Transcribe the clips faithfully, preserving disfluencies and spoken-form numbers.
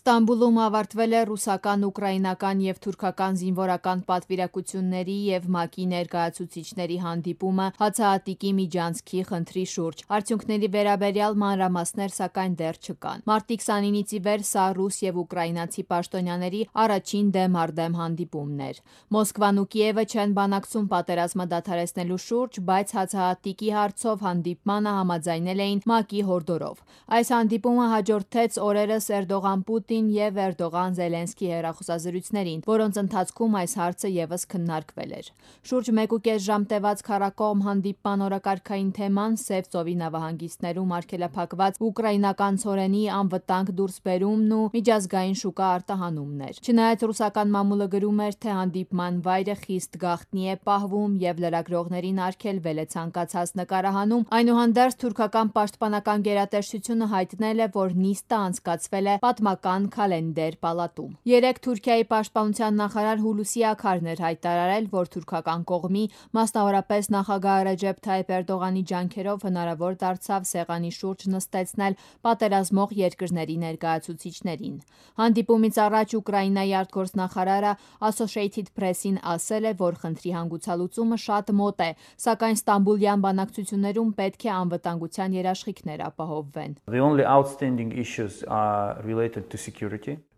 Ստամբուլում ավարտվել է ռուսական, ուկրաինական և թուրքական զինվորական պատվիրակությունների և ՄԱԿ-ի ներկայացուցիչների հանդիպումը հացահատիկի միջանցքի խնդրի շուրջ։ Արդյունքների վերաբերյալ մանրամասներ սակայն դեռ չկան։ Մարտի քսանինից ի վեր սա ռուս և ուկրաինացի պաշտոնյաների առաջին դեմ առ դեմ հանդիպումն էր։ Մոսկվան ու Կիևը չեն բանակցում պատերազմը դադարեցնելու շուրջ, բայց հացահատիկի հարցով հանդիպմանը համաձայնել էին ՄԱԿ-ի հորդորով։ Այս հանդիպումը հաջորդեց օրերս Էրդողան-Պուտին և Էրդողան-Զելենսկի հեռախոսազրույցներին, որոնց ընթացքում այս հարցը ևս քննարկվել էր։ Շուրջ մեկուկես ժամ տևած քառակողմ հանդիպման օրակարգային թեման Սև ծովի նավահանգիստներում արգելափակված ուկրաինական ցորենի անվտանգ դուրսբերումն ու միջազգային շուկա արտահանումն էր։ Չնայած ռուսական մամուլը գրում էր, թե հանդիպման վայրը խիստ գաղտնի է պահվում և լրագրողներին արգելվել է ցանկացած նկարահանում, այնուհանդերձ թուրքական պաշտպանական գերատեսչությունը հայտնել է, որ նիստը անցկացվել է պատմական Քալենդեր պալատում։ Երեկ Թուրքիայի պաշտպանության նախարար Հուլուսի Աքարն էր հայտարարել, որ թուրքական կողմի, մասնավորապես նախագահ Ռեջեփ Թայիփ Էրդողանի ջանքերով հնարավոր դարձավ սեղանի շուրջ նստեցնել պատերազմող երկրների ներկայացուցիչներին։ Հանդիպումից առաջ Ուկրաինայի արտգործնախարարը Associated Press-ին ասել է, որ խնդրի հանգուցալուծումը շատ մոտ է, սակայն Ստամբուլյան բանակցություններում պետք է անվտանգության երաշխիքներ ապահովվեն։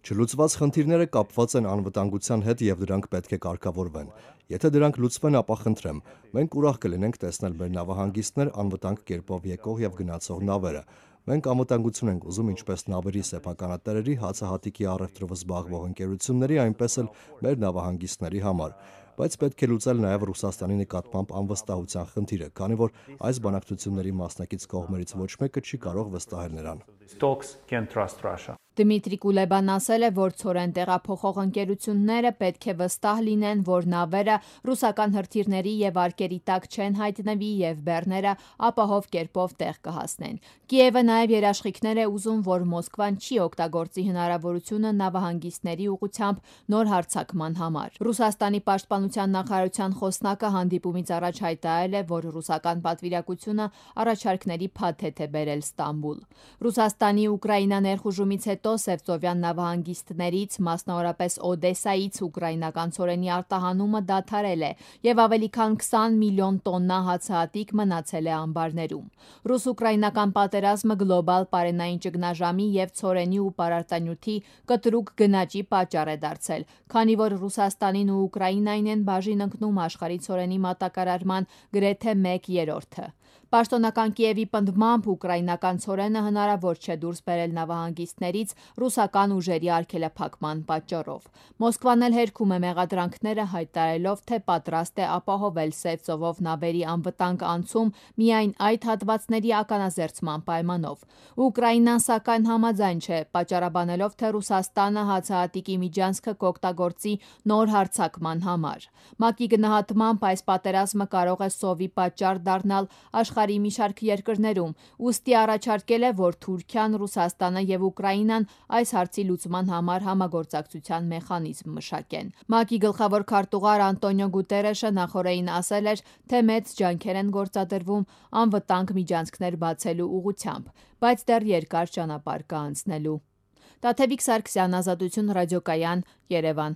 Չլուծված խնդիրները կապված են անվտանգության հետ և դրանք պետք է կարգավորվեն։ Եթե դրանք լուծվեն, ապա խնդրեմ, մենք ուրախ կլինենք տեսնել մեր նավահանգիստներ, անվտանգ կերպով եկող և գնացող նավերը։ Մենք անվտանգություն ենք ուզում ինչպես նավերի սեփականատերերի, հացահատիկի առևտրով զբաղվող ընկերությունների, այնպես էլ մեր նավահանգիստների համար։ Բայց պետք է լուծել նաև Ռուսաստանի նկատմամբ անվստահության խնդիրը, քանի որ այս բանակցությունների մասնակից կողմերից ոչ մեկը չի կարող վստահել նրան։ Դմիտրի Կուլեբան ասել է, որ ցորեն տեղափոխող ընկերությունները պետք է վստահ լինեն, որ նավերը ռուսական հրթիռների և արկերի տակ չեն հայտնվի և բեռները ապահով կերպով տեղ կհասնեն։ Կիևը նաև երաշխիքներ է ուզում, որ Մոսկվան չի օգտագործի հնարավորությունը նավահանգիստների ուղղությամբ նոր հարձակման համար։ Ռուսաստանի պաշտպանության նախարարության խոսնակը հանդիպումից առաջ հայտարարել է, որ ռուսական պատվիրակությունը առաջարկների փաթեթ է բերել Ստամբուլ։ Ռուսաստանի Ուկրաինա ներխուժումից հետո Սևծովյան նավահանգիստներից, մասնավորապես Օդեսայից ուկրաինական ցորենի արտահանումը դադարել է և ավելի քան քսան միլիոն տոննա հացահատիկ մնացել է ամբարներում։ Ռուս-ուկրաինական պատերազմը գլոբալ պարենային ճգնաժամի և ցորենի ու պարարտանյութի կտրուկ գնաճի պատճառ է դարձել, քանի որ Ռուսաստանին ու Ուկրաինային են բաժին ընկնում աշխարհի ցորենի մատակարարման գրեթե մեկ երրորդը։ Պաշտոնական Կիևի պնդմամբ ուկրաինական ցորենը հնարավոր չէ դուրս բերել նավահանգիստներից ռուսական ուժերի արգելափակման պատճառով։ Մոսկվան էլ հերքում է մեղադրանքները, հայտարարելով, թե պատրաստ է ապահովել Սև ծովով նավերի անվտանգ անցում միայն այդ հատվածների ականազերծման պայմանով։ Ուկրաինան սակայն համաձայն չէ, պատճառաբանելով, թե Ռուսաստանը հացահատիկի միջանցքը կօգտագործի նոր հարձակման համար։ ՄԱԿ-ի գնահատմամբ այս պատերազմը կարող է սովի պատճառ դառնալ աշխարհի մի շարք երկրներում, ուստի առաջարկել է, որ Թուրքիան, Ռուսաստանը և Ուկրաինան այս հարցի լուծման համար համագործակցության մեխանիզմ մշակեն։ ՄԱԿ-ի գլխավոր քարտուղար Անտոնիո Գուտերեշը նախօրեին ասել էր, թե մեծ ջանքեր են գործադրվում անվտանգ միջանցքներ բացելու ուղղությամբ, բայց դեռ երկար ճանապարհ կա անցնելու։ Տաթևիկ Սարգսյան, Ազատություն ռադիոկայան, Երևան։